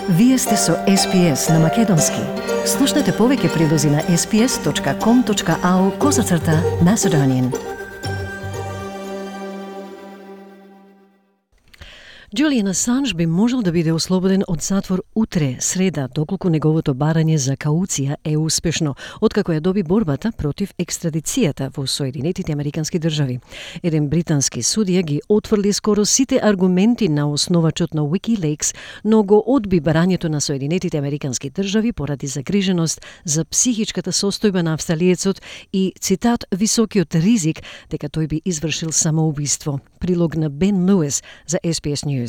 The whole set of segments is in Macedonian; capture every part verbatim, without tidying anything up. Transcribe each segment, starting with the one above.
Вие сте со Ес Пи Ес на Македонски. Слушнете повеќе прилози на ес пи ес точка ком точка ау козацрта Macedonian. Джулијан Асанж би можел да биде ослободен од затвор утре, среда, доколку неговото барање за кауција е успешно, откако ја доби борбата против екстрадицијата во Соединетите Американски држави. Еден британски судија ги отфрли скоро сите аргументи на основачот на Wikileaks, но го одби барањето на Соединетите Американски држави поради загриженост за психичката состојба на австралиецот и, цитат, високиот ризик дека тој би извршил самоубиство. Прилог на Бен Луис за Ес Пи Ес News.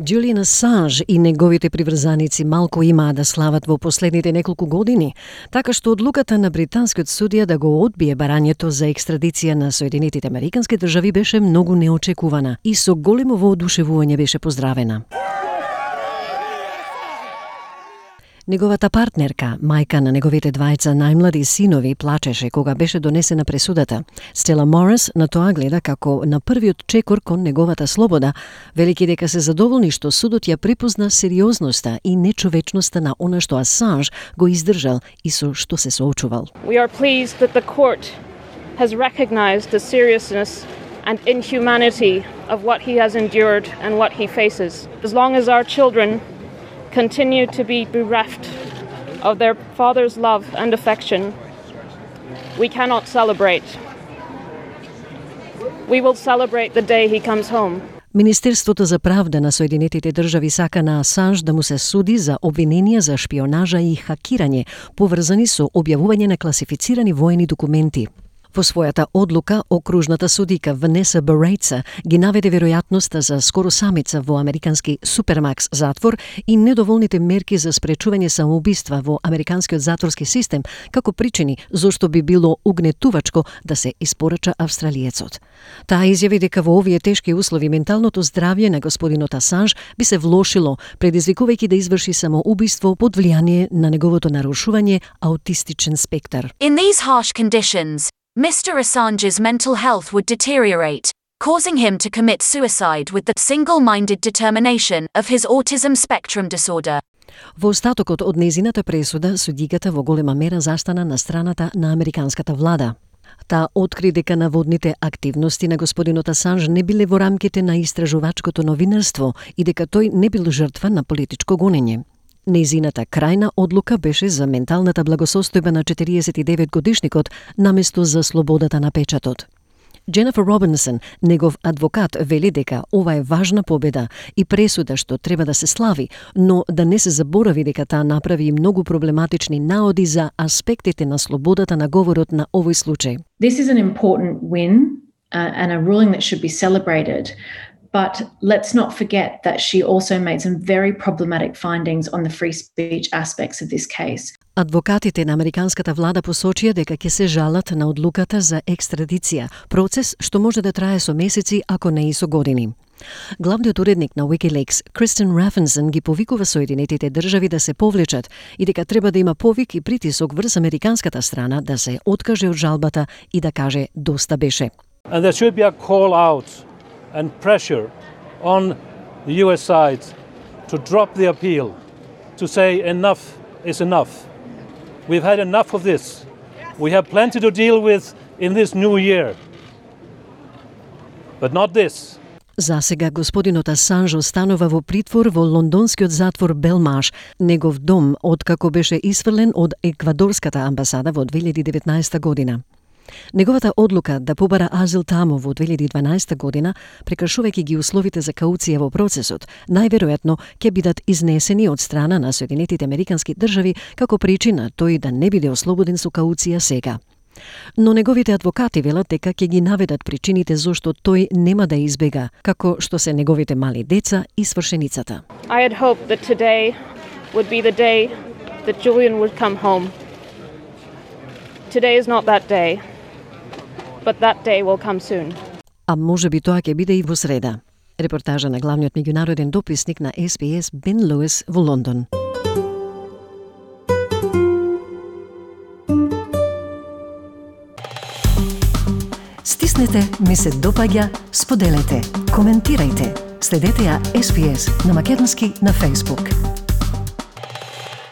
Джулијан Асанж и неговите приврзаници малку имаа да слават во последните неколку години, така што одлуката на британскиот судија да го одбие барањето за екстрадиција на Соединетите Американски држави беше многу неочекувана и со големо воодушевување беше поздравена. Неговата партнерка, мајка на неговите двајца најмлади синови, плачеше кога беше донесена пресудата. Стела Морис на тоа гледа како на првиот чекор кон неговата слобода, велики дека се задоволни што судот ја припозна сериозноста и нечовечноста на она што Асанж го издржал и со што се соочувал. We are pleased that the court has recognized the seriousness and inhumanity of what he has endured and what he faces. As long as our children continue to be bereft of their father's love and affection, we cannot celebrate. We will celebrate the day he comes home. Министерството за правда на Соединетите држави сака на Асанж да му се суди за обвиненија за шпионажа и хакирање, поврзани со објавување на класифицирани воени документи. Во својата одлука, окружната судика Ванеса Барејца ги наведе веројатноста за скоро самица во американски супермакс затвор и недоволните мерки за спречување самоубиства во американскиот затворски систем како причини зошто би било угнетувачко да се испорача австралиецот. Таа изјави дека во овие тешки услови менталното здравје на господинот Асанж би се влошило, предизвикувајќи да изврши самоубиство под влијание на неговото нарушување аутистичен спектар. In these harsh conditions, Mister Assange's mental health would deteriorate, causing him to commit suicide with the single-minded determination of his autism spectrum disorder. Во остатокот од незината пресуда, судиката во голема мера застана на страната на американската влада. Таа откри дека наводните активности на господинот Асанж не биле во рамките на истражувачкото новинарство и дека тој не бил жртва на политичко гонење. Незината крајна одлука беше за менталната благосостојба на четириесет и девет годишникот наместо за слободата на печатот. Дженефер Робинсон, негов адвокат, вели дека ова е важна победа и пресуда што треба да се слави, но да не се заборави дека таа направи и многу проблематични наоди за аспектите на слободата на говорот на овој случај. This is an important win uh, and a ruling that should be celebrated. But let's not forget that she also made some very problematic findings on the free speech aspects of this case. Адвокатите на американската влада посочија дека ќе се жалат на одлуката за екстрадиција, процес што може да трае со месеци, ако не и со години. Главниот уредник на Wikileaks, Кристен Рафенсен, ги повикува Соединетите држави да се повлечат и дека треба да има повик и притисок врз американската страна да се откаже од жалбата и да каже доста беше. And there should be a call out and pressure on the U S side to drop the appeal, to say enough is enough. We've had enough of this. We have plenty to deal with in this new year. But not this. За сега господинот Асанж останува во притвор во лондонскиот затвор Белмаш, негов дом, откако беше исфрлен од еквадорската амбасада во две илјади и деветнаесета година. Неговата одлука да побара азил таму во две илјади и дванаесета година, прекршувајќи ги условите за кауција во процесот, најверојатно ќе бидат изнесени од страна на Соединетите Американски држави како причина тој да не биде ослободен со кауција сега. Но неговите адвокати велат дека ќе ги наведат причините зошто тој нема да избега, како што се неговите мали деца и свршеницата. I had hoped that today would be the day that Julian would come home. Today is not that day, but that day will come soon. А може би тоа ќе биде и во среда. Репортажа на главниот меѓународен дописник на Ес Би Ес Бен Луис во Лондон. Стиснете, ми се допаѓа, споделете, коментирајте. Следете ја Ес Би Ес на македонски на Facebook.